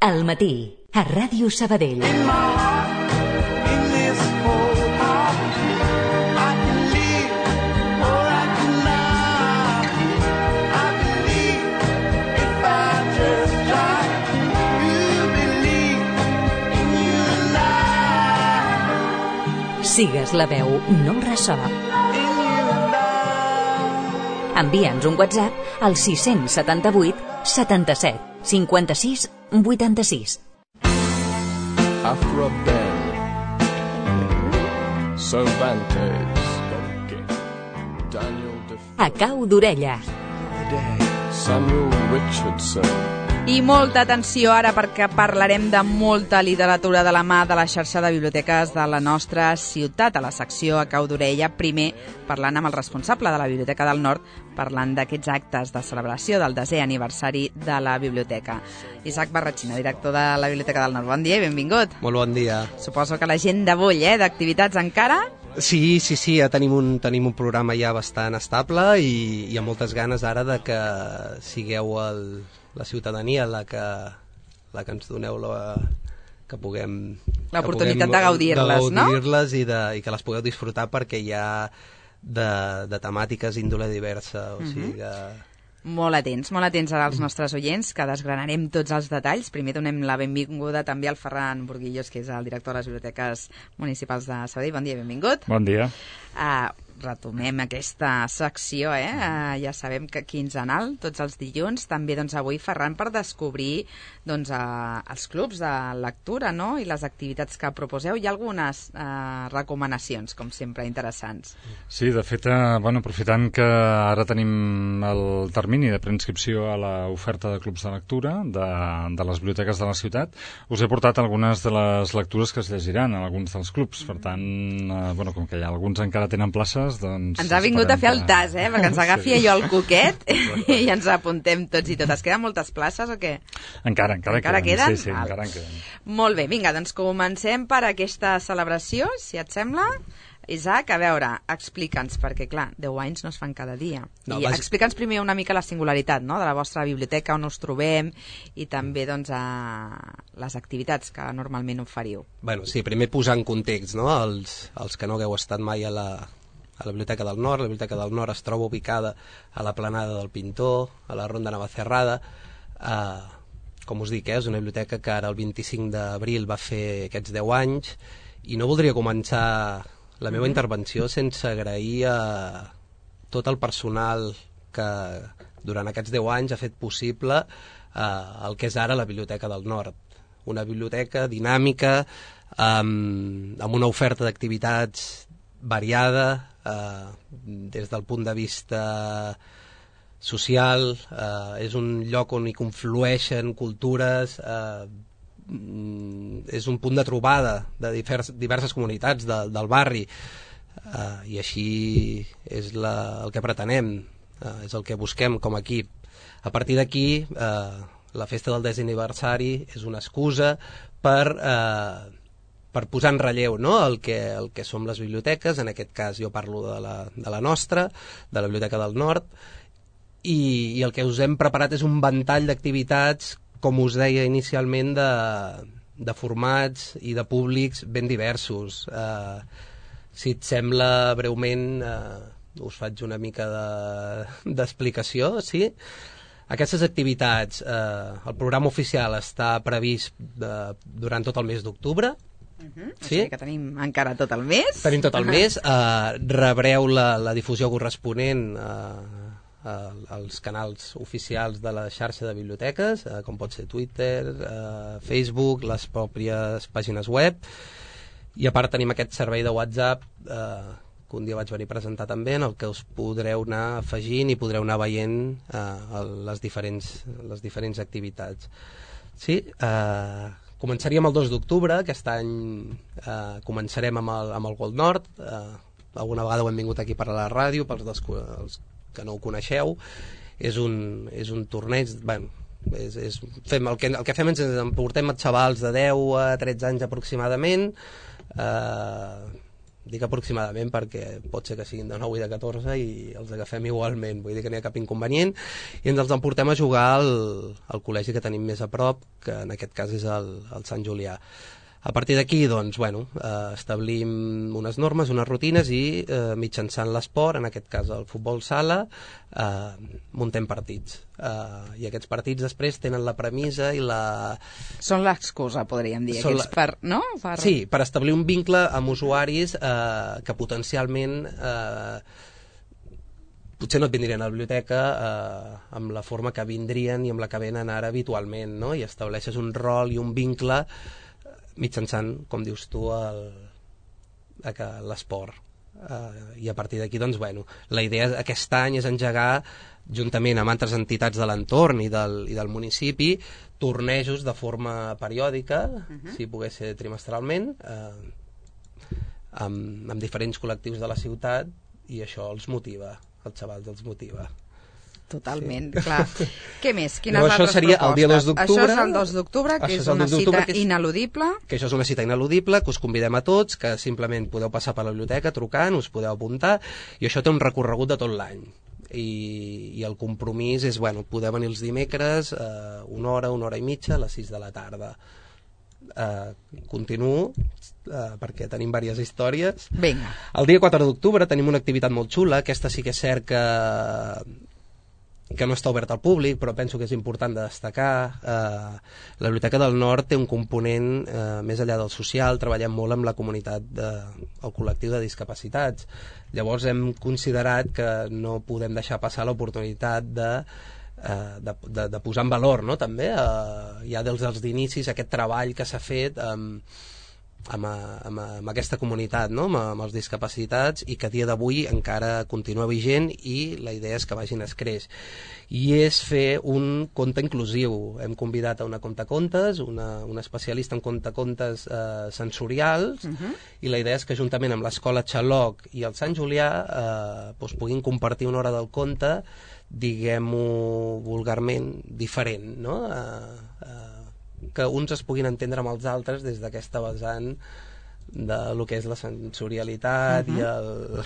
Al matí, a Ràdio Sabadell. Sigues la veu, no el ressò. Envia'ns un WhatsApp al 678 77 56 86. After a bell, Cervantes, Daniel A cau d'orella. Samuel Richardson. I molta atenció ara perquè parlarem de molta literatura de la mà de la xarxa de biblioteques de la nostra ciutat, a la secció A cau d'orella, primer parlant amb el responsable de la Biblioteca del Nord, parlant d'aquests actes de celebració del 10è aniversari de la biblioteca. Isaac Barratxina, director de la Biblioteca del Nord. Bon dia i benvingut. Molt bon dia. Suposo que l'agenda bull, d'activitats encara? Sí, ja tenim un programa ja bastant estable i amb moltes ganes ara de que sigueu la ciutadania la que ens doneu que puguem... L'oportunitat de gaudir-les, no? De gaudir-les i que les pugueu disfrutar perquè hi ha de temàtiques índole diversa, o sigui que... Molt atents ara als nostres oients, que desgranarem tots els detalls. Primer donem la benvinguda també al Ferran Burguillos, que és el director de les Biblioteques Municipals de Sabadell. Bon dia, benvingut. Bon dia. Retomem aquesta secció, ja sabem que quinzenal, tots els dilluns, també avui, Ferran, per descobrir els clubs de lectura, no?, i les activitats que proposeu. Hi ha algunes recomanacions, com sempre, interessants. Sí, de fet, aprofitant que ara tenim el termini de preinscripció a l'oferta de clubs de lectura de les biblioteques de la ciutat, us he portat algunes de les lectures que es llegiran en alguns dels clubs. Per tant, com que alguns encara tenen places, doncs... Ens ha vingut a fer el tas, perquè ens agafi allò el coquet i ens apuntem tots i totes. Queden moltes places o què? Encara queden? Sí, encara en queden. Molt bé, vinga, doncs comencem per aquesta celebració, si et sembla. Isaac, a veure, explica'ns, perquè clar, 10 anys no es fan cada dia. Explica'ns primer una mica la singularitat, no?, de la vostra biblioteca, on us trobem, i també les activitats que normalment oferiu. Sí, primer posar en context, no?, els que no hagueu estat mai a la Biblioteca del Nord. La Biblioteca del Nord es troba ubicada a la Planada del Pintor, a la Ronda Navacerrada. Com us dic, és una biblioteca que ara el 25 d'abril va fer aquests 10 anys, i no voldria començar la meva intervenció sense agrair a tot el personal que durant aquests 10 anys ha fet possible el que és ara la Biblioteca del Nord. Una biblioteca dinàmica, amb una oferta d'activitats variada, des del punt de vista social, és un lloc on hi conflueixen cultures, és un punt de trobada de diverses comunitats del barri, i així és el que pretenem, és el que busquem com a equip. A partir d'aquí, la festa del 10è aniversari és una excusa per posar en relleu, no?, el que som les biblioteques. En aquest cas jo parlo de la nostra, de la Biblioteca del Nord, i el que us hem preparat és un ventall d'activitats, com us deia inicialment, de formats i de públics ben diversos. Si et sembla, breument us faig una mica d'explicació, sí? Aquestes activitats, el programa oficial està previst durant tot el mes d'octubre. O sigui que tenim encara tot el mes. Tenim tot el mes. Rebreu la difusió corresponent als canals oficials de la xarxa de biblioteques, com pot ser Twitter, Facebook, les pròpies pàgines web, i a part tenim aquest servei de WhatsApp que un dia vaig venir a presentar també, en el que us podreu anar afegint i podreu anar veient les diferents activitats. Sí, començaríem el 2 d'octubre, aquest any començarem amb el Gold Nord. Alguna vegada ho hem vingut aquí per a la ràdio, pels que no ho coneixeu. És un torneig, el que fem és portem xavals de 10 a 13 anys aproximadament, dic aproximadament perquè pot ser que siguin de 9 i de 14 i els agafem igualment, vull dir que no hi ha cap inconvenient, i ens els emportem a jugar al col·legi que tenim més a prop, que en aquest cas és el Sant Julià. A partir d'aquí, doncs, bueno, establim unes normes, unes rutines i mitjançant l'esport, en aquest cas el futbol sala, muntem partits. I aquests partits després tenen la premissa i la... Són l'excusa, podríem dir, no? Sí, per establir un vincle amb usuaris que potencialment... potser no et vindrien a la biblioteca amb la forma que vindrien i amb la que venen ara habitualment, no? I estableixes un rol i un vincle mitjançant, com dius tu, l'esport. I a partir d'aquí, doncs, bueno, la idea aquest any és engegar, juntament amb altres entitats de l'entorn i del municipi, tornejos de forma periòdica, si pogués ser trimestralment, amb diferents col·lectius de la ciutat, i això els motiva, els xavals els motiva. Totalment, sí. Clar. Què més? Quines altres propostes? Això seria el dia 2 d'octubre. Això és el 2 d'octubre, que és una cita ineludible. Que això és una cita ineludible, que us convidem a tots, que simplement podeu passar per la biblioteca trucant, us podeu apuntar, i això té un recorregut de tot l'any. I el compromís és, bueno, poder venir els dimecres, una hora i mitja, a les 6 de la tarda. Continuo, perquè tenim diverses històries. Vinga. El dia 4 d'octubre tenim una activitat molt xula, aquesta sí que és cert que no està obert al públic, però penso que és important de destacar. La Biblioteca del Nord té un component més enllà del social, treballem molt amb la comunitat, el col·lectiu de discapacitats. Llavors hem considerat que no podem deixar passar l'oportunitat de posar en valor, no? També ja des dels inicis aquest treball que s'ha fet amb aquesta comunitat, no? amb els discapacitats, i que a dia d'avui encara continua vigent, i la idea és que vagin escreix. I és fer un conte inclusiu. Hem convidat a una contacontes, una especialista en contacontes sensorials, i la idea és que juntament amb l'Escola Xaloc i el Sant Julià puguin compartir una hora del conte, diguem-ho vulgarment, diferent, no? Que uns es puguin entendre amb els altres des d'aquesta vessant de lo que és la sensorialitat i el...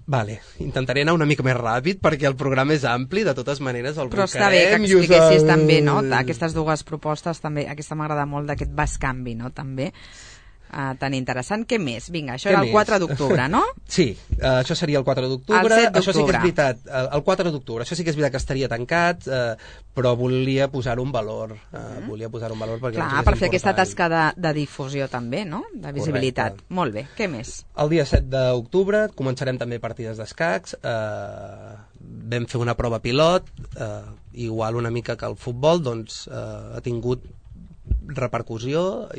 Vale, intentaré anar una mica més ràpid perquè el programa és ampli, de totes maneres el però està bé que expliquessis també, no? Aquestes dues propostes també, aquesta m'agrada molt, d'aquest bascanvi, no? També tan interessant. Què més? Vinga, això era el 4 d'octubre, no? Sí, això seria el 4 d'octubre. El 7 d'octubre. Això sí que és veritat, el 4 d'octubre. Això sí que és veritat que estaria tancat, però volia posar-ho en valor. Volia posar-ho en valor perquè clar, per fer aquesta tasca de difusió també, no? De visibilitat. Correcte. Molt bé. Què més? El dia 7 d'octubre començarem també partides d'escacs. Vam fer una prova pilot, igual una mica que el futbol, doncs ha tingut repercussió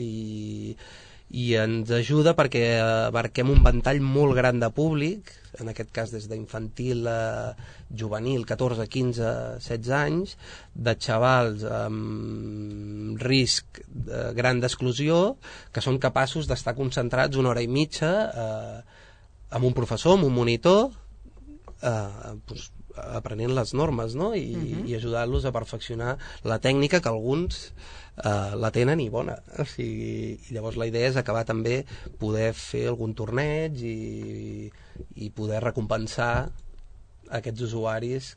i ens ajuda perquè abarquem un ventall molt gran de públic, en aquest cas des d'infantil a juvenil, 14, 15, 16 anys, de xavals amb risc gran d'exclusió, que són capaços d'estar concentrats una hora i mitja amb un professor, amb un monitor, aprenent les normes, no? I ajudar-los a perfeccionar la tècnica, que alguns la tenen i bona. O sigui, i llavors la idea és acabar també poder fer algun torneig i poder recompensar aquests usuaris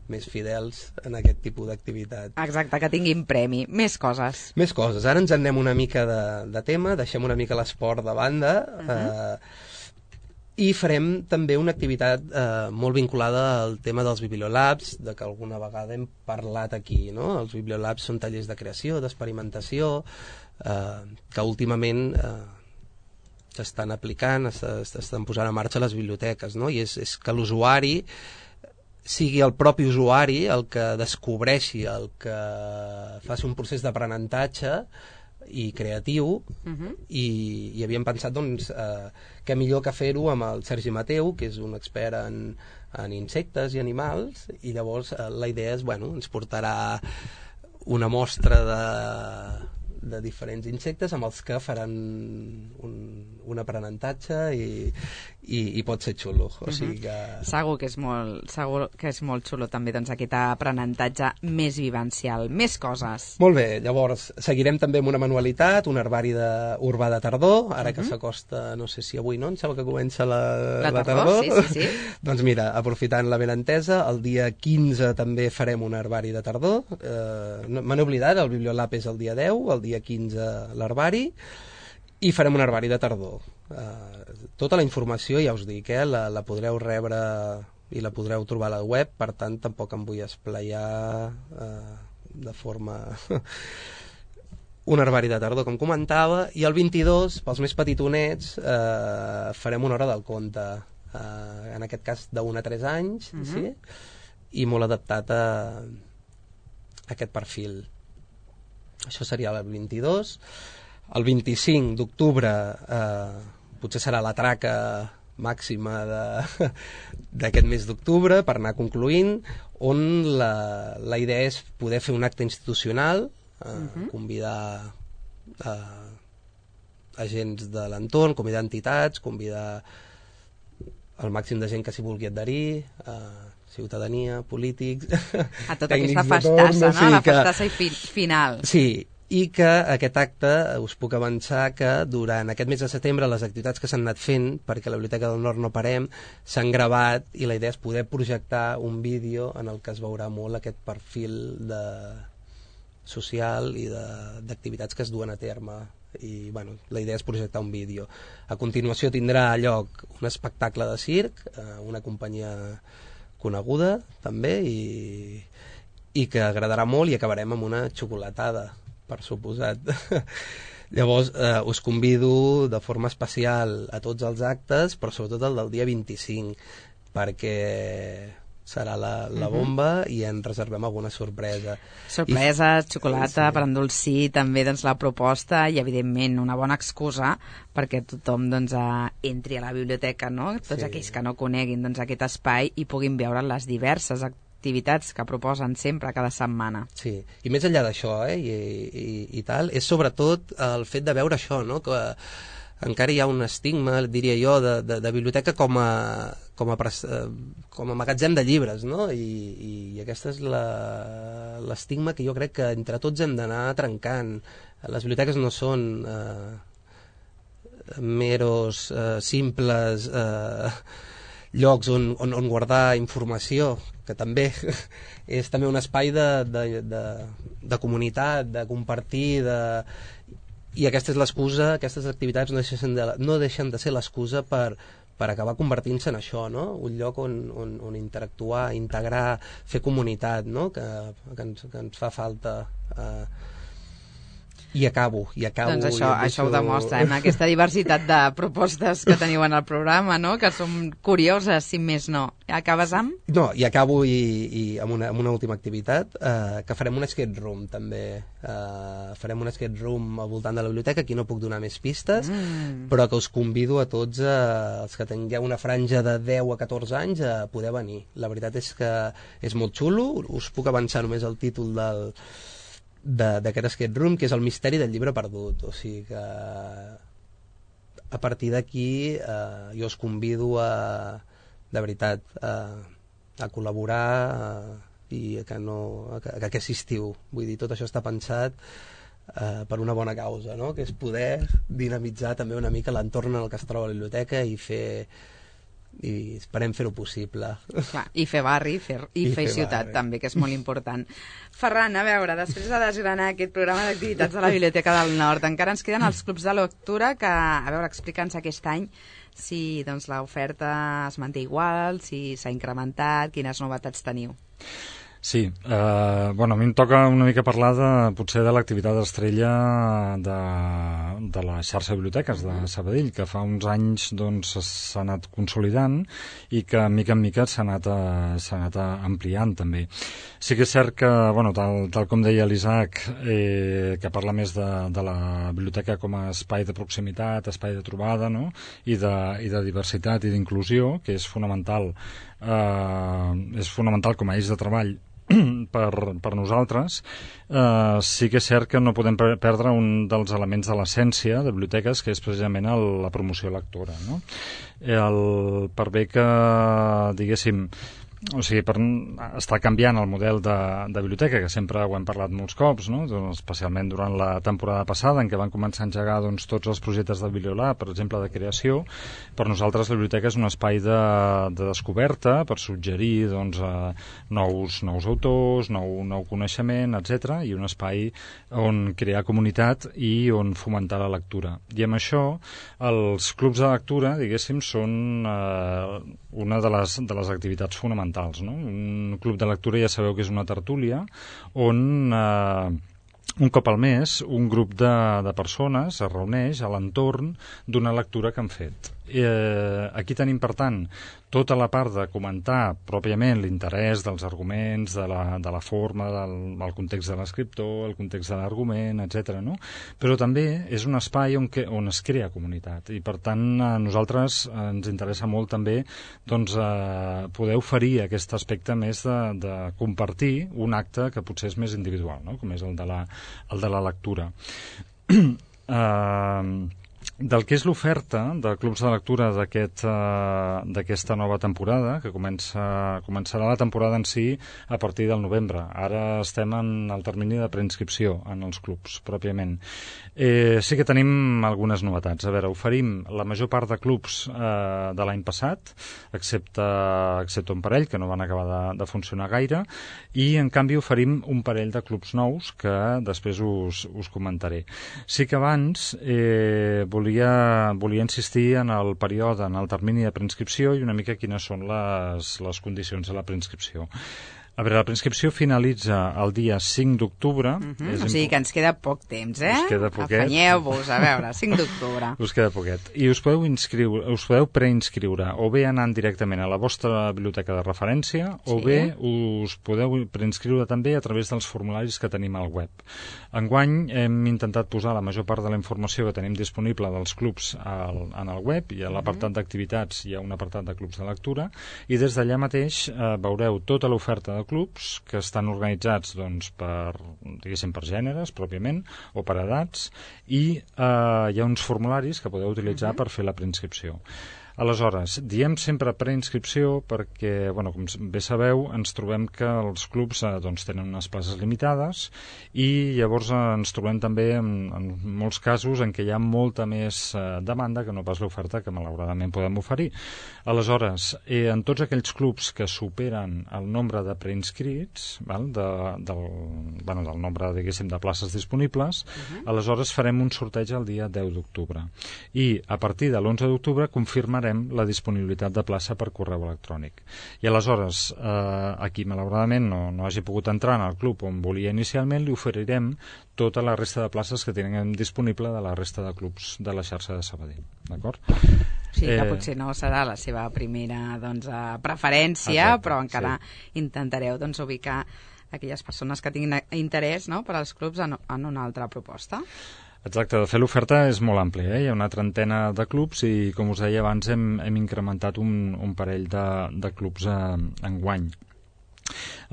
més fidels en aquest tipus d'activitat. Exacte, que tinguin premi. Més coses. Més coses. Ara ens anem una mica de tema, deixem una mica l'esport de banda, i farem també una activitat molt vinculada al tema dels bibliolabs, de que alguna vegada hem parlat aquí, no? Els bibliolabs són tallers de creació, d'experimentació, que últimament s'estan aplicant, s'estan posant en marxa a les biblioteques, no? I és que l'usuari sigui el propi usuari el que descobreixi, el que faci un procés d'aprenentatge i creatiu, i havíem pensat, doncs, que millor que fer-ho amb el Sergi Mateu, que és un expert en insectes i animals, i llavors la idea és, bueno, ens portarà una mostra de diferents insectes amb els que faran un aprenentatge i pot ser xulo, o sigui que... Segur que és molt xulo també, doncs, aquest aprenentatge més vivencial. Més coses. Molt bé, llavors seguirem també amb una manualitat, un herbari urbà de tardor, ara que s'acosta, no sé si avui no, em sembla que comença la tardor. Sí. Doncs mira, aprofitant la benentesa, el dia 15 també farem un herbari de tardor, me n'he oblidat, el Bibliolab és el dia 10, el dia 15 l'herbari, i farem un herbari de tardor. Tota la informació, ja us dic, la podreu rebre i la podreu trobar a la web, per tant tampoc em vull esplaiar de forma... un herbari de tardor, com comentava, i el 22, pels més petitonets, farem una hora del conte, en aquest cas d'1 a 3 anys, sí? I molt adaptat a aquest perfil. Això seria el 22. El 25 d'octubre potser serà la traca màxima d'aquest mes d'octubre per anar concluint, on la idea és poder fer un acte institucional, convidar agents de l'entorn, convidar entitats, convidar el màxim de gent que s'hi vulgui adherir, ciutadania, polítics, a tota aquesta festassa, no? La festassa final. Sí, i que aquest acte, us puc avançar que durant aquest mes de setembre les activitats que s'han anat fent, perquè a la Biblioteca del Nord no parem, s'han gravat i la idea és poder projectar un vídeo en el que es veurà molt aquest perfil social i d'activitats que es duen a terme. I bueno, la idea és projectar un vídeo. A continuació tindrà lloc un espectacle de circ, una companyia coneguda també, i que agradarà molt, i acabarem amb una xocolatada, per suposat. Llavors us convido de forma especial a tots els actes, però sobretot el del dia 25, perquè serà la bomba i en reservem alguna sorpresa. Sorpreses, xocolata, per endolcir també doncs, la proposta i evidentment una bona excusa perquè tothom doncs, entri a la biblioteca, no? Tots aquells que no coneguin doncs, aquest espai i puguin veure les diverses activitats que proposen sempre, cada setmana. Sí, i més enllà d'això, i tal, és sobretot el fet de veure això, no? Que encara hi ha un estigma, diria jo, de biblioteca com a magatzem de llibres, no? I aquesta és l'estigma que jo crec que entre tots hem d'anar trencant. Les biblioteques no són meros, simples llocs on guardar informació, que també és també un espai de comunitat, de compartir, i aquesta és l'excusa, aquestes activitats no deixen de ser l'excusa per acabar convertint-se en això, no? Un lloc on interactuar, integrar, fer comunitat, no? Que ens fa falta. I acabo. Doncs això ho demostra, aquesta diversitat de propostes que teniu en el programa, no? Que són curioses, si més no. Acabes amb? No, i acabo amb una última activitat, que farem un escape room, també. Farem un escape room al voltant de la biblioteca, aquí no puc donar més pistes, però que us convido a tots, els que tingueu una franja de 10 a 14 anys, a poder venir. La veritat és que és molt xulo, us puc avançar només el títol d'aquest escape room, que és el misteri del llibre perdut. O sigui que a partir d'aquí jo us convido de veritat a col·laborar i que aquest estiu, vull dir, tot això està pensat per una bona causa, no? Que és poder dinamitzar també una mica l'entorn en el que es troba la biblioteca i esperem fer-ho possible. Clar, i fer barri i fer ciutat barri, també, que és molt important. Ferran, a veure, després de desgranar aquest programa d'activitats de la Biblioteca del Nord, encara ens queden els clubs de lectura que, a veure, explica'ns aquest any si doncs, l'oferta es manté igual, si s'ha incrementat, quines novetats teniu. Sí, a mi em toca una mica parlar potser de l'activitat estrella de la xarxa de biblioteques de Sabadell, que fa uns anys doncs, s'ha anat consolidant i que mica en mica s'ha anat ampliant també. Sí que és cert que, tal com deia l'Isaac, que parla més de la biblioteca com a espai de proximitat, espai de trobada, no? I de diversitat i d'inclusió, que és fonamental com a eix de treball per nosaltres, sí que és cert que no podem perdre un dels elements de l'essència de biblioteques, que és precisament la promoció lectora, no? Per bé que, diguéssim, o sigui, està canviant el model de biblioteca, que sempre ho hem parlat molts cops, no? Especialment durant la temporada passada, en què van començar a engegar tots els projectes del Bibliolab, per exemple, de creació. Per nosaltres la biblioteca és un espai de descoberta per suggerir nous autors, nou coneixement, etc., i un espai on crear comunitat i on fomentar la lectura. I amb això, els clubs de lectura, diguéssim, són una de les activitats fonamentals. No? Un club de lectura ja sabeu que és una tertúlia on un cop al mes un grup de persones es reuneix a l'entorn d'una lectura que han fet. Aquí tenim, per tant, tota la part de comentar pròpiament l'interès dels arguments, de la forma, del context de l'escriptor, el context de l'argument, etc. No? Però també és un espai on es crea comunitat i, per tant, a nosaltres ens interessa molt també poder oferir aquest aspecte més de compartir un acte que potser és més individual, no? Com és el de la lectura. Del que és l'oferta de clubs de lectura d'aquesta nova temporada, que començarà la temporada en si a partir del novembre. Ara estem en el termini de preinscripció en els clubs, pròpiament. Sí que tenim algunes novetats. A veure, oferim la major part de clubs de l'any passat, excepte un parell, que no van acabar de funcionar gaire, i en canvi oferim un parell de clubs nous que després us comentaré. Sí que abans volia insistir en el període, en el termini de preinscripció i una mica quines són les condicions de la preinscripció. A veure, la preinscripció finalitza el dia 5 d'octubre. O sigui que ens queda poc temps, Us queda poquet. Afanyeu-vos, a veure, 5 d'octubre. Us queda poquet. I us podeu preinscriure o bé anant directament a la vostra biblioteca de referència o bé us podeu preinscriure també a través dels formularis que tenim al web. Enguany hem intentat posar la major part de la informació que tenim disponible dels clubs en el web, i a l'apartat d'activitats hi ha un apartat de clubs de lectura, i des d'allà mateix veureu tota l'oferta de clubs que estan organitzats per gèneres pròpiament o per edats, i hi ha uns formularis que podeu utilitzar per fer la preinscripció. Aleshores, diem sempre preinscripció perquè, com bé sabeu, ens trobem que els clubs tenen unes places limitades i llavors ens trobem també en molts casos en què hi ha molta més demanda que no pas l'oferta que malauradament podem oferir. Aleshores, en tots aquells clubs que superen el nombre de preinscrits, del nombre, diguéssim, de places disponibles, aleshores farem un sorteig el dia 10 d'octubre. I a partir de l'11 d'octubre confirmarem la disponibilitat de plaça per correu electrònic. I aleshores, a qui malauradament no hagi pogut entrar en el club on volia inicialment, li oferirem tota la resta de places que tenim disponible de la resta de clubs de la xarxa de Sabadell. D'acord? Sí, que potser no serà la seva primera preferència, però encara intentareu ubicar aquelles persones que tinguin interès per als clubs en una altra proposta. Exacte, de fet l'oferta és molt àmplia, hi ha una trentena de clubs i, com us deia abans, hem incrementat un parell de clubs enguany.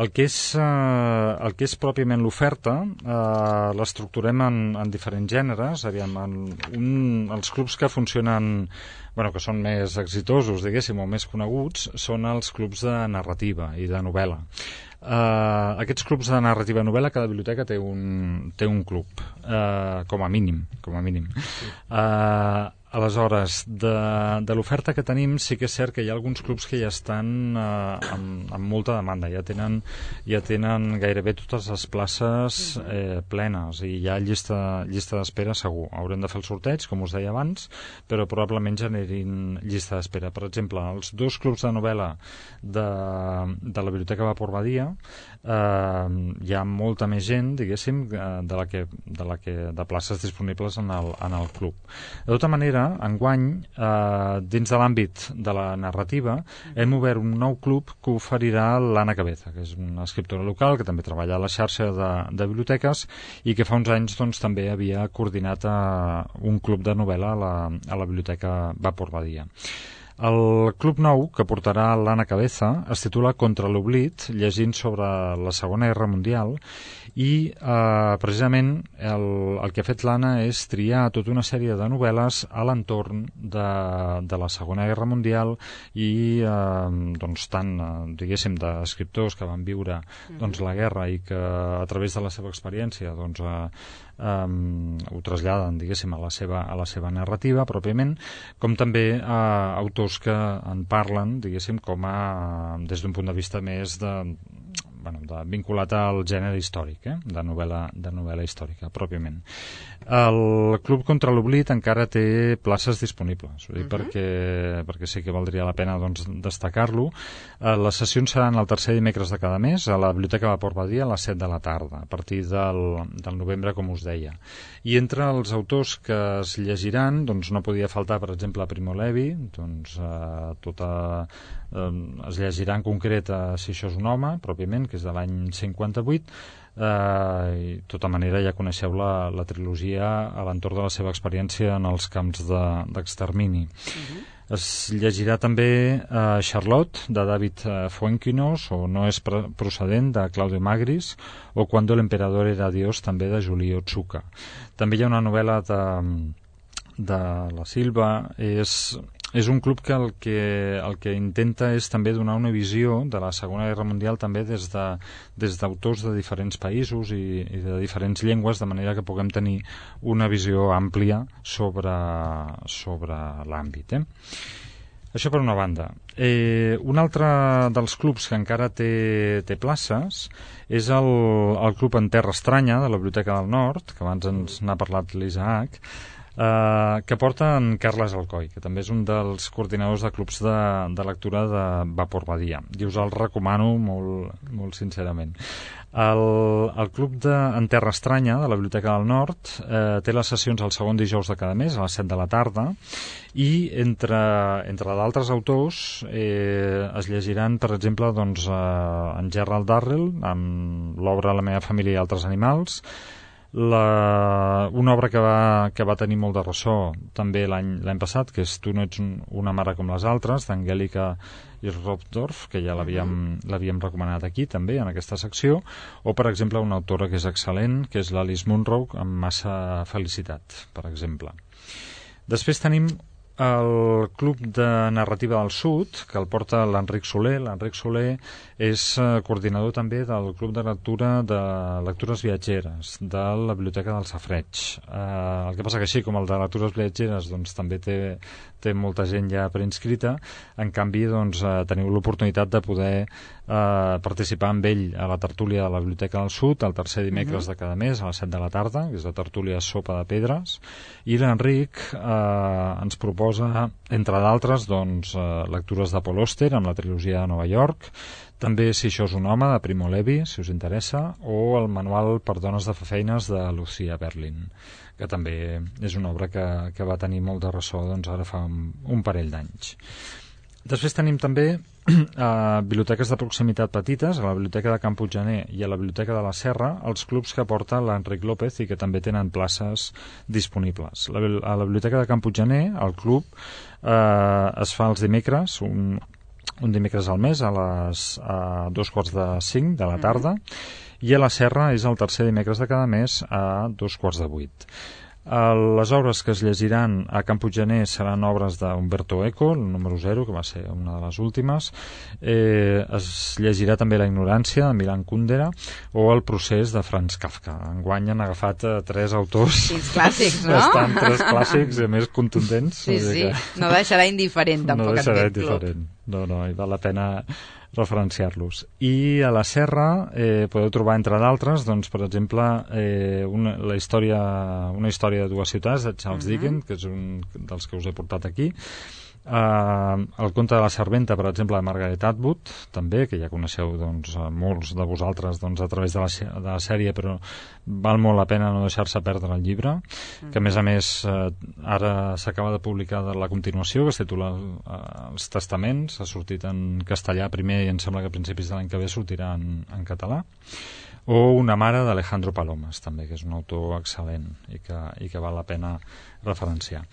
El que és pròpiament l'oferta l'estructurem en diferents gèneres. Els clubs que funcionen, que són més exitosos, diguéssim, o més coneguts, són els clubs de narrativa i de novel·la. Aquests clubs de narrativa i novel·la, cada biblioteca té un club, com a mínim. Aleshores, de l'oferta que tenim, sí que és cert que hi ha alguns clubs que ja estan amb molta demanda, ja tenen gairebé totes les places plenes i hi ha llista d'espera segur. Haurem de fer el sorteig, com us deia abans, però probablement generin llista d'espera. Per exemple, els dos clubs de novel·la de la Biblioteca Vapor Badia, hi ha molta més gent, diguéssim, de places disponibles en el club. De tota manera, enguany, dins de l'àmbit de la narrativa, hem obert un nou club que oferirà l'Anna Cabeza, que és una escriptora local que també treballa a la xarxa de biblioteques i que fa uns anys també havia coordinat un club de novel·la a la Biblioteca Vapor Badia. El club nou, que portarà l'Anna Cabeza, es titula Contra l'oblit, llegint sobre la Segona Guerra Mundial, i precisament el que ha fet l'Anna és triar tota una sèrie de novel·les a l'entorn de la Segona Guerra Mundial i doncs tant, diguéssim, d'escriptors que van viure doncs, la guerra i que a través de la seva experiència doncs, ho traslladen, diguéssim, a la seva narrativa pròpiament, com també autors que en parlen, diguéssim, com des d'un punt de vista més vinculat al gènere històric, de novel·la històrica, pròpiament. El Club Contra l'Oblit encara té places disponibles, perquè sí que valdria la pena doncs, destacar-lo. Les sessions seran el tercer dimecres de cada mes a la Biblioteca de Port Badia a les 7 de la tarda, a partir del novembre, com us deia. I entre els autors que es llegiran, doncs no podia faltar, per exemple, Primo Levi, doncs es llegirà en concret Si això és un home, pròpiament, que és de l'any 58, i de tota manera ja coneixeu la trilogia a l'entorn de la seva experiència en els camps d'extermini. Es llegirà també Charlotte, de David Fuenquinos, o No és procedent, de Claudio Magris, o Cuando el emperador era Dios, també de Julio Otsuka. També hi ha una novel·la de la Silva. És un club que el que intenta és també donar una visió de la Segona Guerra Mundial també des d'autors de diferents països i de diferents llengües, de manera que puguem tenir una visió àmplia sobre l'àmbit. Això per una banda. Un altre dels clubs que encara té places és el Club En Terra Estranya, de la Biblioteca del Nord, que abans ens n'ha parlat l'Isaac, que porta en Carles Alcoi, que també és un dels coordinadors de clubs de lectura de Vapor Badia, i us el recomano molt sincerament. El club En Terra Estranya, de la Biblioteca del Nord, té les sessions el segon dijous de cada mes a les 7 de la tarda, i entre d'altres autors es llegiran, per exemple, doncs, en Gerald Darrell amb l'obra La meva família i altres animals, una obra que va tenir molt de ressò també l'any passat, que és Tu no ets una mare com les altres, d'Angèlica Irsdorf, que ja l'havíem recomanat aquí també en aquesta secció, o per exemple una autora que és excel·lent, que és l'Alice Munro, amb Massa felicitat, per exemple. Després tenim el Club de Narrativa del Sud, que el porta l'Enric Soler. L'Enric Soler és coordinador també del Club de Lectura de Lectures Viatgeres de la Biblioteca del Safareig. El que passa que així com el de Lectures Viatgeres doncs, també té molta gent ja preinscrita, en canvi doncs, teniu l'oportunitat de poder participar amb ell a la tertúlia de la Biblioteca del Sud el tercer dimecres de cada mes a les 7 de la tarda, que és la tertúlia Sopa de Pedres, i l'Enric ens proposa, entre d'altres, doncs, lectures de Paul Auster amb la trilogia de Nova York, també Si això és un home, de Primo Levi, si us interessa, o el manual per dones de fer feines de Lucia Berlin, que també és una obra que va tenir molt de ressò doncs, ara fa un parell d'anys. Després tenim també biblioteques de proximitat petites, a la Biblioteca de Can Puiggener i a la Biblioteca de la Serra, els clubs que porta l'Enric López i que també tenen places disponibles. A la Biblioteca de Can Puiggener, el club es fa els dimecres, un dimecres al mes a 2:45 de la tarda, i a la Serra és el tercer dimecres de cada mes a 7:45. Les obres que es llegiran a Can Puiggener seran obres d'Umberto Eco, el número 0, que va ser una de les últimes. Es llegirà també La ignorància, de Milan Kundera, o El procés, de Franz Kafka. Enguany han agafat 3 autors... Quins clàssics, no? Bastant 3 clàssics, a més contundents. Sí. No deixarà indiferent, tampoc, aquest club. No deixarà indiferent. No, i val la pena referenciar-los. I a la Serra podeu trobar, entre d'altres, doncs, per exemple, una història de dues ciutats, de Charles Dickens, que és un dels que us he portat aquí. El conte de la serventa, per exemple, de Margaret Atwood, també, que ja coneixeu doncs, molts de vosaltres doncs, a través de la sèrie, però val molt la pena no deixar-se perdre el llibre, que a més ara s'acaba de publicar la continuació, que es titula Els testaments, ha sortit en castellà primer i em sembla que a principis de l'any que ve sortirà en català. o Una mare d'Alejandro Palomas, també, que és un autor excel·lent i que val la pena referenciar.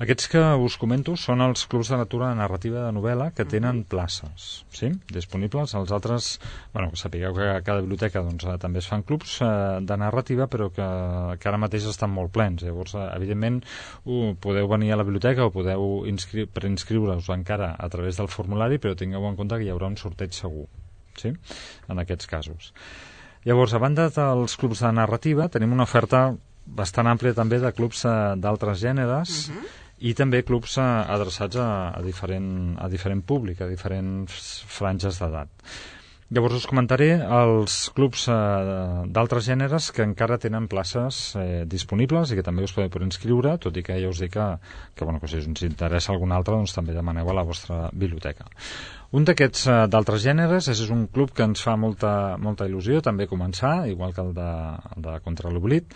Aquests que us comento són els clubs de lectura narrativa de novel·la que tenen places, sí? Disponibles. Els altres, que sapigueu que a cada biblioteca doncs, també es fan clubs de narrativa, però que ara mateix estan molt plens. Llavors, evidentment, podeu venir a la biblioteca o podeu preinscriure-us encara a través del formulari, però tingueu en compte que hi haurà un sorteig segur, sí? En aquests casos. Llavors, a banda dels clubs de narrativa, tenim una oferta bastant àmplia també de clubs d'altres gèneres i també clubs adreçats a diferent públic, a diferents franges d'edat. Llavors us comentaré els clubs d'altres gèneres que encara tenen places disponibles i que també us podeu inscriure, tot i que ja us dic que si us interessa algun altre, doncs també demaneu a la vostra biblioteca. Un d'aquests d'altres gèneres és un club que ens fa molta il·lusió també començar, igual que el de Contra l'Oblit.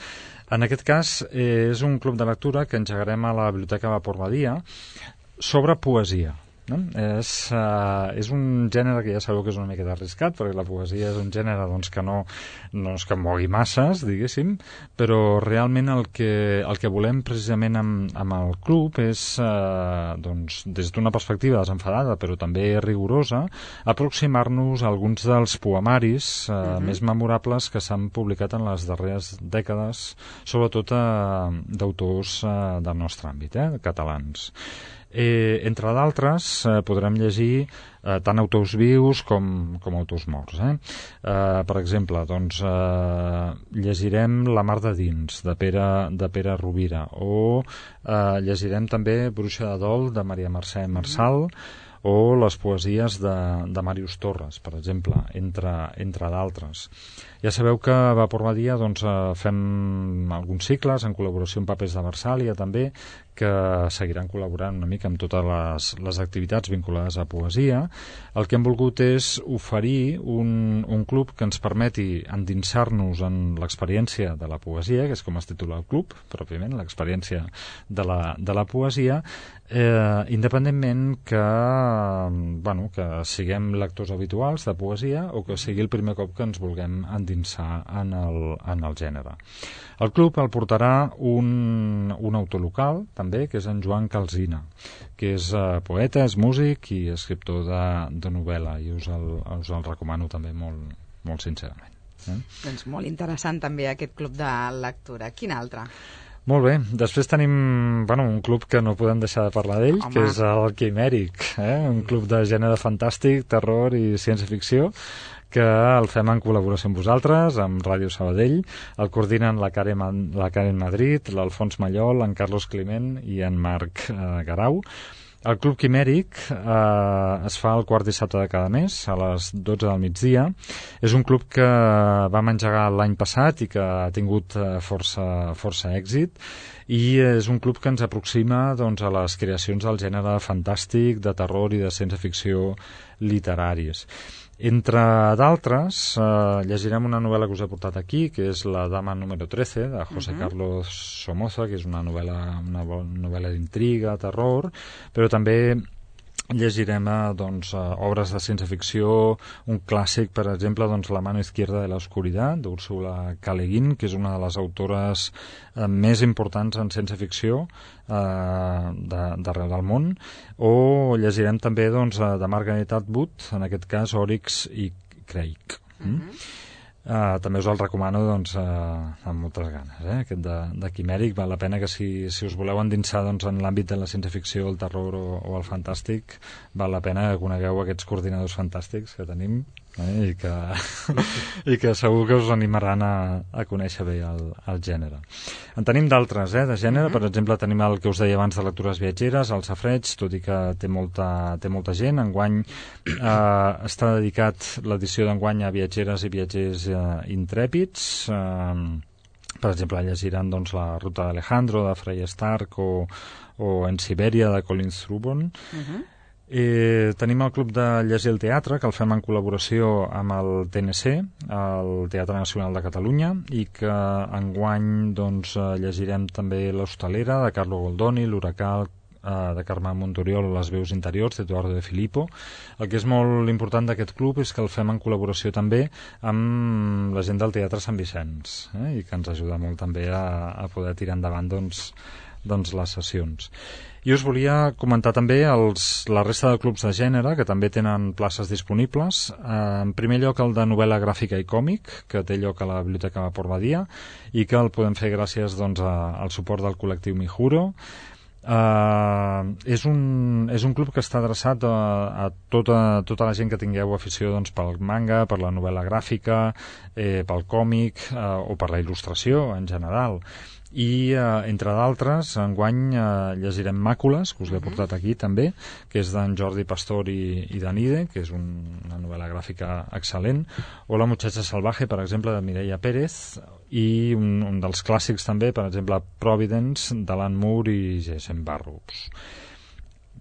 En aquest cas és un club de lectura que engegarem a la Biblioteca Vapor Badia sobre poesia. No? És un gènere que ja sabeu que és una miqueta arriscat, perquè la poesia és un gènere doncs, que no és que mogui masses, diguéssim, però realment el que volem precisament amb el club és, doncs, des d'una perspectiva desenfadada però també rigorosa, aproximar-nos a alguns dels poemaris més memorables que s'han publicat en les darreres dècades, sobretot d'autors del nostre àmbit, catalans. Entre d'altres podrem llegir tant autors vius com autors morts. Per exemple, doncs, llegirem La mar de dins, de Pere Rovira, o llegirem també Bruixa de dol, de Maria Mercè Marçal, o les poesies de Màrius Torres, per exemple, entre d'altres. Ja sabeu que a Vapor Badia doncs, fem alguns cicles en col·laboració amb Papers de Versàlia també, que seguiran col·laborant una mica amb totes les activitats vinculades a poesia. El que hem volgut és oferir un club que ens permeti endinsar-nos en l'experiència de la poesia, que és com es titula el club, pròpiament, l'experiència de la poesia, independentment que siguem lectors habituals de poesia o que sigui el primer cop que ens vulguem endinsar en el gènere. El club el portarà un autor local, també, que és en Joan Calsina, que és poeta, és músic i escriptor de novel·la, i us el recomano també molt, molt sincerament. Doncs molt interessant també aquest club de lectura. Quin altre? Molt bé, després tenim un club que no podem deixar de parlar d'ell, que és el Quimèric, un club de gènere fantàstic, terror i ciència-ficció, que el fem en col·laboració amb vosaltres, amb Ràdio Sabadell. El coordinen la Karen Madrid, l'Alfons Mallol, en Carlos Climent i en Marc Garau. El Club Quimèric es fa el quart dissabte de cada mes, a les 12 del migdia. És un club que vam engegar l'any passat i que ha tingut força èxit, i és un club que ens aproxima doncs, a les creacions del gènere fantàstic, de terror i de ciència-ficció literàries. Entre d'altres, llegirem una novel·la que us he portat aquí, que és La dama número 13, de José Carlos Somoza, que és una novel·la d'intriga, terror, però també llegirem obres de ciència-ficció, un clàssic, per exemple, La mano izquierda de la oscuridad, d'Úrsula K. Le Guin, que és una de les autores més importants en ciència-ficció d'arreu del món, o llegirem també de Margaret Atwood, en aquest cas Oryx i Crake. També us el recomano amb moltes ganes, aquest de Quimèric. Val la pena que si us voleu endinsar en l'àmbit de la ciència-ficció, el terror o el fantàstic, val la pena que conegueu aquests coordinadors fantàstics que tenim, i que segur que us animaran a conèixer bé el gènere. En tenim d'altres de gènere, per exemple tenim el que us deia abans de lectures viatgeres, el Safareig, tot i que té molta gent. Enguany està dedicat l'edició d'enguany a viatgeres i viatgers intrèpids. Per exemple, llegiran La ruta d'Alejandro, de Frey Stark, o En Sibèria, de Colin Strubon. Tenim el Club de Llegir el Teatre, que el fem en col·laboració amb el TNC, el Teatre Nacional de Catalunya, i que enguany llegirem també L'Hostalera, de Carlo Goldoni, l'Huracà, de Carme Montoriol, les veus interiors d'Eduardo de Filippo. El que és molt important d'aquest club és que el fem en col·laboració també amb la gent del Teatre Sant Vicenç, i que ens ajuda molt també a poder tirar endavant doncs les sessions. I us volia comentar també la resta de clubs de gènere que també tenen places disponibles. En primer lloc el de novel·la gràfica i còmic, que té lloc a la Biblioteca Vapor Badia i que el podem fer gràcies doncs, al suport del col·lectiu Mijuro. És un club que està adreçat a tota la gent que tingueu afició doncs, pel manga, per la novel·la gràfica, pel còmic o per la il·lustració en general. I, entre d'altres, enguany llegirem Màcules, que us l'he portat aquí també, que és d'en Jordi Pastor i d'Anide, que és una novel·la gràfica excel·lent, o La muchacha salvaje, per exemple, de Mireia Pérez, i un dels clàssics també, per exemple, Providence, d'Alan Moore i Jason Burroughs.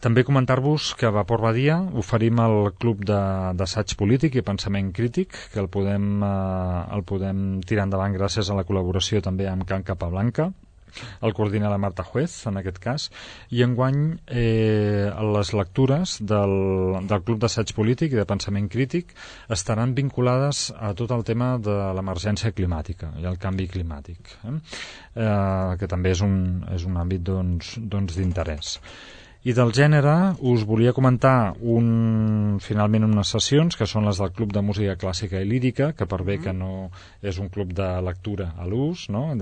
També comentar-vos que a Vapor Badia oferim el club d'assaig polític i pensament crític, que el podem tirar endavant gràcies a la col·laboració també amb Can Capablanca. El coordina la Marta Juez, en aquest cas, i enguany les lectures del Club d'Assaig Polític i de Pensament Crític estaran vinculades a tot el tema de l'emergència climàtica i el canvi climàtic, que també és un àmbit doncs, d'interès. I del gènere us volia comentar finalment unes sessions que són les del Club de Música Clàssica i Lírica, que per bé que no és un club de lectura a l'ús, no?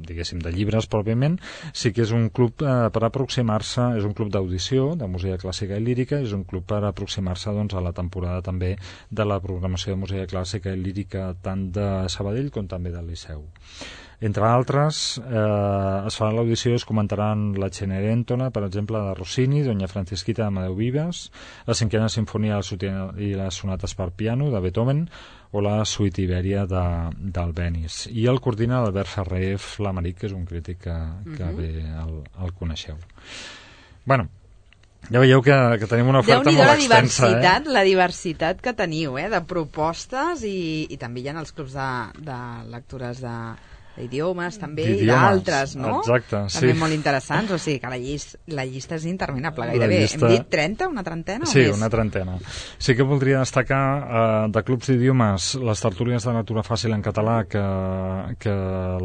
Diguéssim de llibres pròpiament, sí que és un club per aproximar-se, és un club d'audició de música clàssica i lírica, és un club per aproximar-se doncs, a la temporada també de la programació de música clàssica i lírica tant de Sabadell com també del Liceu. Entre altres, es farà l'audició i es comentaran la Cenerentola, per exemple, de Rossini, Doña Francisquita d'Amadeu Vives, la cinquena sinfonia i les sonates per piano de Beethoven o la suite Ibèria d'Albéniz. I el coordina l'Albert Ferrer Flamaric, que és un crític que bé el coneixeu. Bueno, ja veieu que tenim una oferta molt extensa. La diversitat que teniu, de propostes i també hi ha els clubs de lectures d'idiomes també i d'altres, no? Exacte, també sí. molt interessants, o sigui que la llista és interminable, gairebé. Hem dit 30, una trentena o sí, més? Sí, una trentena. Sí que voldria destacar de clubs d'idiomes les tertúlies de lectura fàcil en català que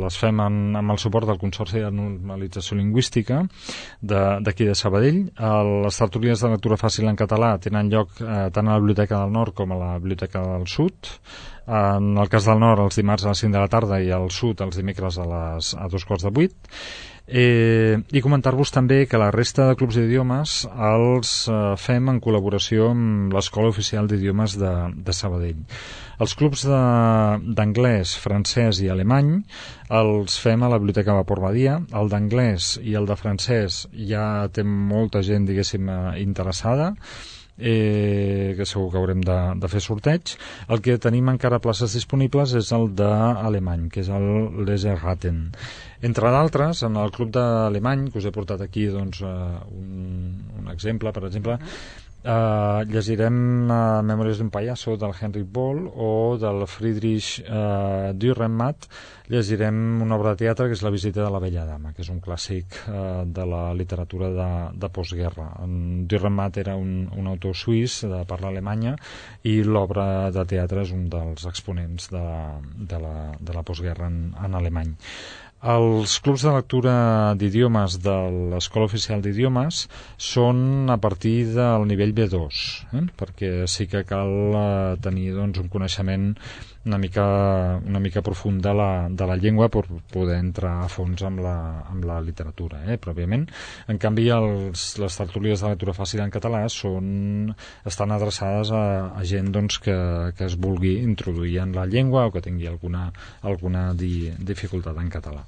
les fem amb el suport del Consorci de Normalització Lingüística d'aquí de Sabadell. Les tertúlies de lectura fàcil en català tenen lloc tant a la Biblioteca del Nord com a la Biblioteca del Sud. En el cas del Nord els dimarts a les 5 de la tarda i al Sud els dimecres a 2:45. I comentar-vos també que la resta de clubs d'idiomes els fem en col·laboració amb l'Escola Oficial d'Idiomes de Sabadell. Els clubs d'anglès, francès i alemany els fem a la Biblioteca Vapor Badia. El d'anglès i el de francès ja té molta gent, diguéssim, interessada, que segur que haurem de fer sorteig. El que tenim encara places disponibles és el d'alemany, que és el Leserraten. Entre d'altres, en el club d'alemany, que us he portat aquí doncs, un exemple, per exemple, llegirem Memòries d'un pallasso del Henrik Boll o del Friedrich Dürrenmatt. Llegirem una obra de teatre que és La visita de la vella dama, que és un clàssic de la literatura de postguerra. En Dürrenmatt era un autor suís de parla alemanya i l'obra de teatre és un dels exponents de la postguerra en alemany. Els clubs de lectura d'idiomes de l'Escola Oficial d'Idiomes són a partir del nivell B2, perquè sí que cal tenir doncs, un coneixement una mica profund de la llengua per poder entrar a fons amb la literatura, pròpiament. En canvi, les tertúlies de lectura fàcil en català estan adreçades a gent doncs, que es vulgui introduir en la llengua o que tingui alguna dificultat en català.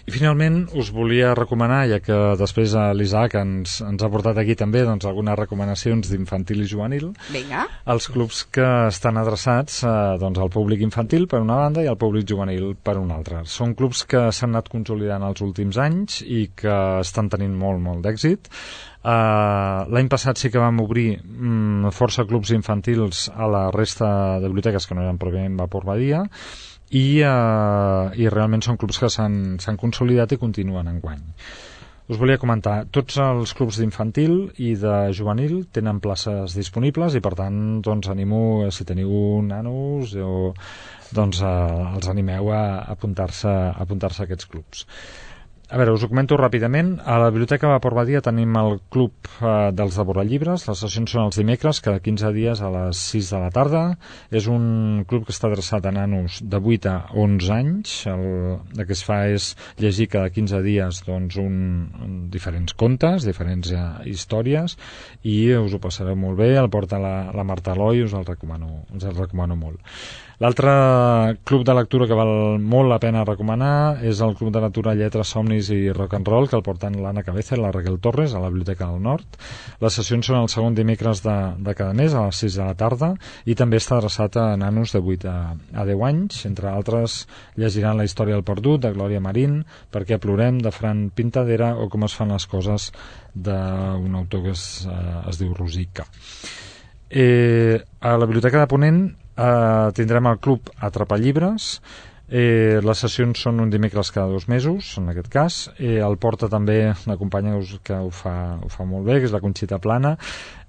I finalment us volia recomanar, ja que després l'Isaac ens ha portat aquí també doncs, algunes recomanacions d'infantil i juvenil. Vinga. Els clubs que estan adreçats doncs, al públic infantil per una banda i al públic juvenil per una altra. Són clubs que s'han anat consolidant els últims anys i que estan tenint molt d'èxit. L'any passat sí que vam obrir força clubs infantils a la resta de biblioteques que no eren pròpiament Vapor Badia i realment són clubs que s'han consolidat i continuen enguany. us volia comentar, tots els clubs d'infantil i de juvenil tenen places disponibles i per tant doncs animo, si teniu nanos doncs els animeu a apuntar-se a aquests clubs. A veure, us ho comento ràpidament. A la Biblioteca Vapor Badia tenim el club dels devorallibres. Les sessions són els dimecres, cada 15 dies a les 6 de la tarda. És un club que està adreçat a nanos de 8 a 11 anys. El que es fa és llegir cada 15 dies doncs, diferents contes, diferents històries, i us ho passareu molt bé. El porta la Marta Eloi, us el recomano molt. L'altre club de lectura que val molt la pena recomanar és el Club de Lectura Lletres, Somnis i Rock and Roll, que el porten l'Anna Cabeza i la Raquel Torres a la Biblioteca del Nord. Les sessions són el segon dimecres de cada mes a les 6 de la tarda i també està adreçat a nanos de 8 a 10 anys. Entre altres, llegiran La història del perdut, de Glòria Marín, Per què plorem, de Fran Pintadera, o Com es fan les coses, d'un autor que es diu Rosica. A la Biblioteca de Ponent tindrem el club Atrapallibres. Les sessions són un dimecres cada 2 mesos, en aquest cas. El porta també la companya que ho fa molt bé, que és la Conxita Plana.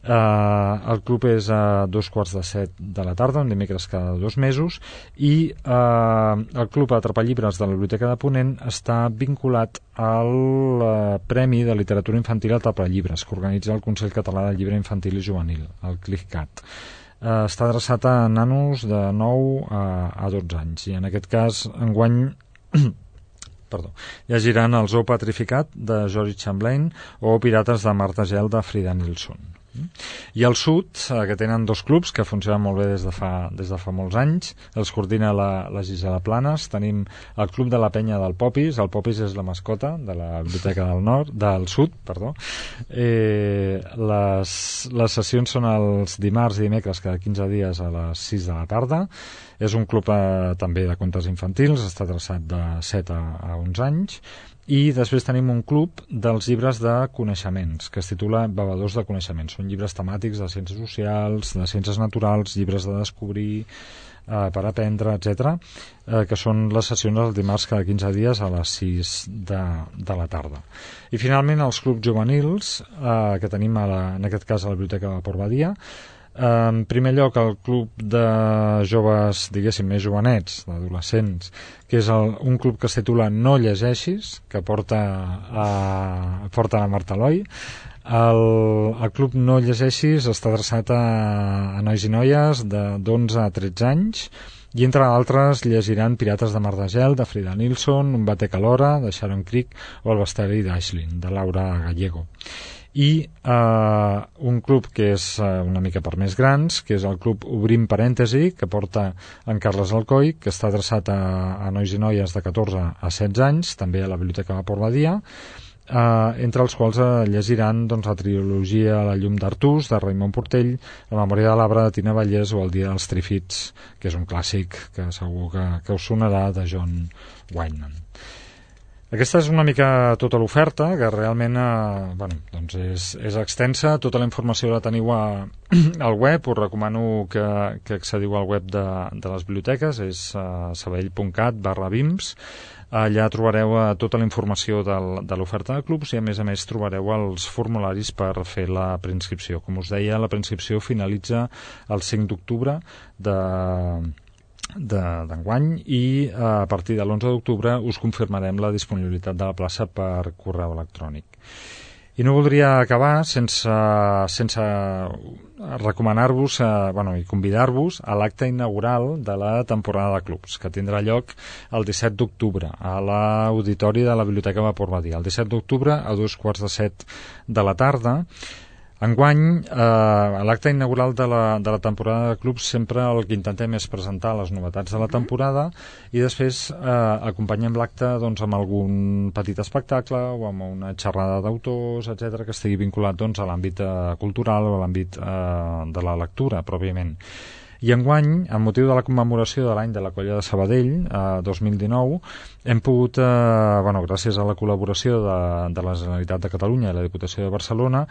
El club és a 2:45 de la tarda, un dimecres cada 2 mesos, i el club Atrapallibres de la Biblioteca de Ponent està vinculat al Premi de Literatura Infantil Atrapallibres, que organitza el Consell Català del Llibre Infantil i Juvenil, el CLICCAT. Està adreçat a nanos de 9 a 12 anys, i en aquest cas enguany llegiran El zoo petrificat, de George Chamberlain, o Pirates de Marta Gel, de Frida Nilsson. I al sud, que tenen 2 clubs que funcionen molt bé des de fa molts anys, els coordina la Gisela Planes. Tenim el Club de la Penya del Popis. El Popis és la mascota de la Biblioteca del Sud. Les sessions són els dimarts i dimecres cada 15 dies a les 6 de la tarda. És un club també de contes infantils, està adreçat de 7 a 11 anys. I després tenim un club dels llibres de coneixements, que es titula Bevedors de Coneixements. Són llibres temàtics de ciències socials, de ciències naturals, llibres de descobrir, per aprendre, etc., que són les sessions els dimarts cada 15 dies a les 6 de la tarda. I finalment els clubs juvenils, que tenim en aquest cas a la Biblioteca de Vapor Badia. En primer lloc, el club de joves, diguéssim, més jovenets, d'adolescents, que és un club que es titula No llegeixis, que porta la Marta Eloi. El club No llegeixis està adreçat a nois i noies d'11 a 13 anys, i entre altres llegiran Pirates de Mar de Gel, de Frida Nilsson, Un batec alhora, de Sharon Creek, o El bestiari d'Aisling, de Laura Gallego. I un club que és una mica per més grans, que és el club Obrim Parèntesi, que porta en Carles Alcoi, que està adreçat a nois i noies de 14 a 16 anys, també a la Biblioteca Vapor Badia, entre els quals llegiran la trilogia La llum d'Artús, de Raimon Portell, La memòria de l'arbre, de Tina Vallès, o El dia dels Trifits, que és un clàssic que segur que us sonarà, de John Wyndham. Aquesta és una mica tota l'oferta, que realment és extensa. Tota la informació la teniu al web. Us recomano que accediu al web de les biblioteques, és sabadell.cat/bims. Allà trobareu tota la informació de l'oferta de clubs, i a més trobareu els formularis per fer la preinscripció. Com us deia, la preinscripció finalitza el 5 d'octubre d'enguany, i a partir de l'11 d'octubre us confirmarem la disponibilitat de la plaça per correu electrònic. I no voldria acabar sense recomanar-vos i convidar-vos a l'acte inaugural de la temporada de clubs, que tindrà lloc el 17 d'octubre a l'auditori de la Biblioteca Vapor Badia, el 17 d'octubre a 2:45 de la tarda. Enguany, a l'acte inaugural de la temporada de clubs, sempre el que intentem és presentar les novetats de la temporada, i després acompanyem l'acte amb algun petit espectacle o amb una xerrada d'autors, etc., que estigui vinculat a l'àmbit cultural o a l'àmbit de la lectura, pròpiament. I enguany, amb motiu de la commemoració de l'any de la Colla de Sabadell, 2019, hem pogut, gràcies a la col·laboració de la Generalitat de Catalunya i la Diputació de Barcelona,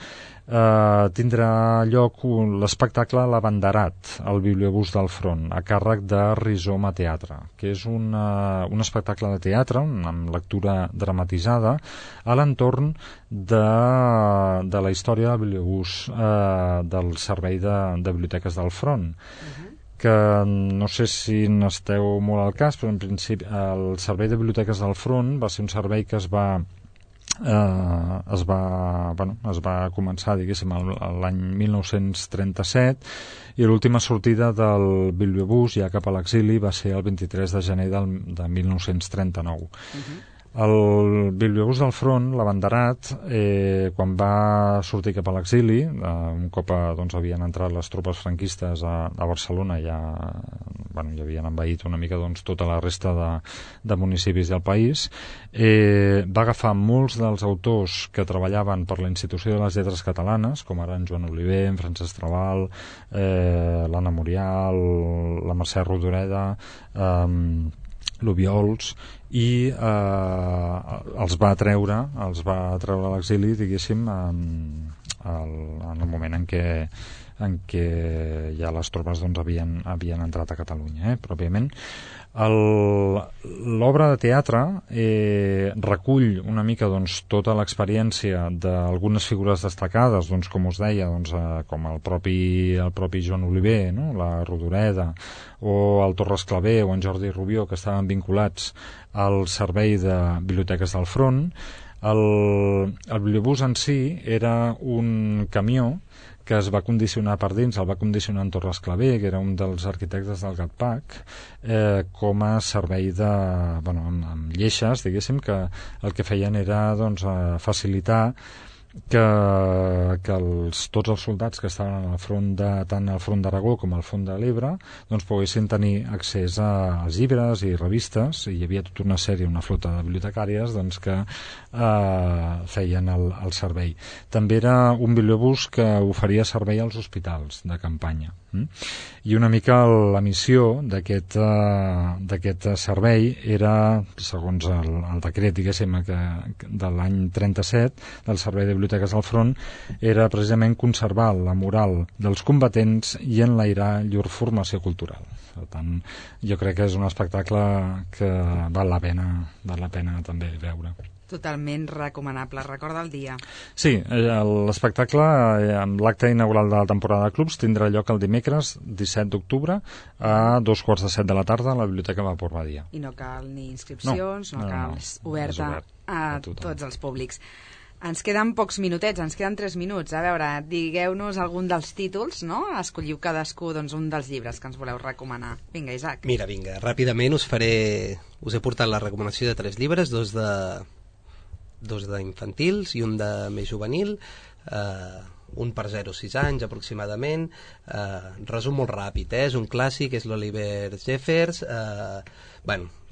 tindrà lloc l'espectacle L'Abanderat, al Bibliobús del Front, a càrrec de Rizoma Teatre, que és un espectacle de teatre amb lectura dramatitzada a l'entorn de la història del Bibliobús del Servei de Biblioteques del Front, que no sé si n'esteu molt al cas, però en principi el Servei de Biblioteques del Front va ser un servei que es va començar, diguéssim, l'any 1937, i l'última sortida del Bibliobús ja cap a l'exili va ser el 23 de gener de 1939. El Bibliobús del Front, l'Abanderat, quan va sortir cap a l'exili, un cop havien entrat les tropes franquistes a Barcelona, ja havien envaït una mica tota la resta de municipis del país, va agafar molts dels autors que treballaven per la Institució de les Lletres Catalanes, com ara en Joan Oliver, en Francesc Trabal, l'Anna Murial, la Mercè Rodoreda, l'Obiols, i els va treure a l'exili, diguéssim, en el moment en què ja les tropes havien entrat a Catalunya, pròpiament. L'obra de teatre recull una mica tota l'experiència d'algunes figures destacades, com us deia, com el propi Joan Oliver, no? La Rodoreda, o el Torres Clavé o en Jordi Rubió, que estaven vinculats al Servei de Biblioteques del Front. El bibliobús en si era un camió que es va condicionar per dins, el va condicionar en Torres Clavé, que era un dels arquitectes del GATPAC, com a servei amb lleixes, diguéssim, que el que feien era facilitar que tots els soldats que estaven tant al front d'Aragó com al front de l'Ebre poguessin tenir accés als llibres i revistes, i hi havia tota una flota de bibliotecàries que feien el servei. També era un bibliobús que oferia servei als hospitals de campanya. I una mica la missió d'aquest servei era, segons el decret, diguéssim, de l'any 37 del Servei de Biblioteques del Front, era precisament conservar la moral dels combatents i enlairar llur formació cultural. Per tant, jo crec que és un espectacle que val la pena també veure. Totalment recomanable. Recorda el dia. Sí, l'espectacle, amb l'acte inaugural de la temporada de clubs, tindrà lloc el dimecres 17 d'octubre a 2:45 de la tarda a la Biblioteca Vapor Badia. I no cal ni inscripcions, no cal, és oberta a tots els públics. Ens queden pocs minutets, ens queden 3 minuts. A veure, digueu-nos algun dels títols, no? Escolliu cadascú un dels llibres que ens voleu recomanar. Vinga, Isaac. Vinga, ràpidament us he portat la recomanació de 3 llibres, dos d'infantils i un de més juvenil, un per 0-6 anys aproximadament. Resum molt ràpid, és un clàssic, és l'Oliver Jeffers.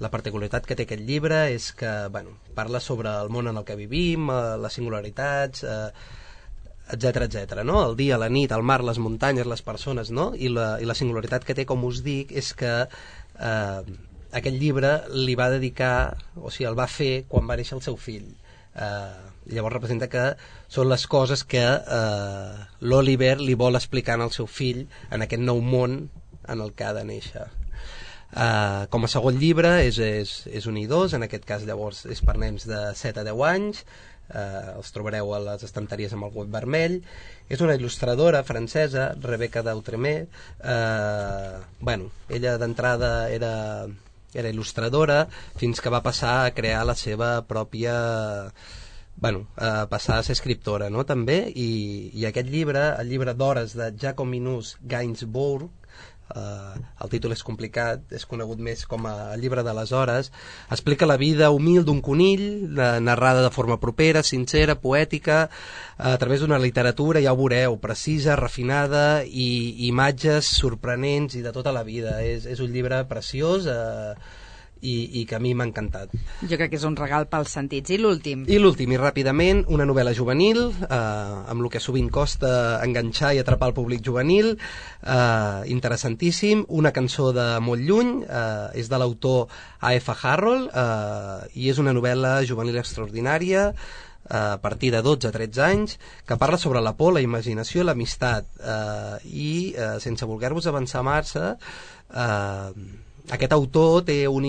La particularitat que té aquest llibre és que parla sobre el món en el que vivim, les singularitats, etc., no? El dia, la nit, el mar, les muntanyes, les persones, no? I la singularitat que té, com us dic, és que aquest llibre li va dedicar, o sigui, el va fer quan va néixer el seu fill. Llavors representa que són les coses que l'Oliver li vol explicar al seu fill en aquest nou món en el que ha de néixer. Com a segon llibre és un i dos, en aquest cas llavors és per nens de 7 a 10 anys, els trobareu a les estanteries amb el web vermell. És una il·lustradora francesa, Rebecca d'Outremer. Ella d'entrada era il·lustradora fins que va passar a crear la seva pròpia... passar a ser escriptora, no?, també, i aquest llibre, el llibre d'hores de Jacobinus Gainsbourg, el títol és complicat, és conegut més com a el llibre de les hores, explica la vida humil d'un conill, narrada de forma propera, sincera, poètica, a través d'una literatura, ja ho veureu, precisa, refinada, i imatges sorprenents i de tota la vida. És un llibre preciós, i que a mi m'ha encantat. Jo crec que és un regal pels sentits. I l'últim? I l'últim, i ràpidament, una novel·la juvenil, amb el que sovint costa enganxar i atrapar el públic juvenil, interessantíssim, una cançó de molt lluny, és de l'autor A.F. Harrold, i és una novel·la juvenil extraordinària, a partir de 12-13 anys, que parla sobre la por, la imaginació i l'amistat, i sense voler-vos avançar massa, aquest autor té un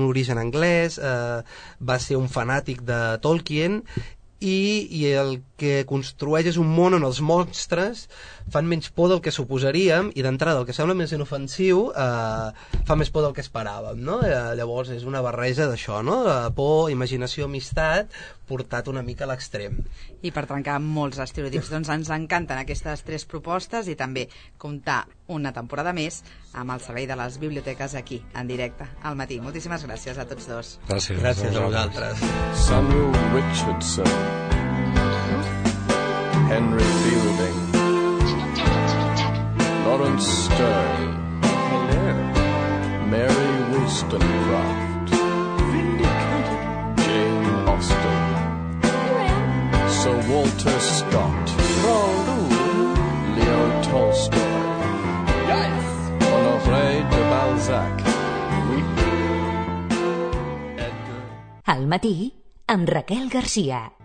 origen anglès, va ser un fanàtic de Tolkien, i el que construeix és un món on els monstres fan menys por del que suposaríem, i d'entrada el que sembla més inofensiu fa més por del que esperàvem, no? Llavors és una barreja d'això, no? Por, imaginació, amistat, portat una mica a l'extrem. I per trencar molts estereotips, doncs ens encanten aquestes 3 propostes i també comptar una temporada més amb el servei de les biblioteques aquí, en directe, al matí. Moltíssimes gràcies a tots dos. Gràcies a vosaltres. Samuel Richardson, Henry Fielding, Lawrence Stern, Mary Wollstonecraft, Jane Austen, Sir Walter Scott, Leo Tolstoy, Honoré de Balzac, Al matí, amb Raquel Garcia.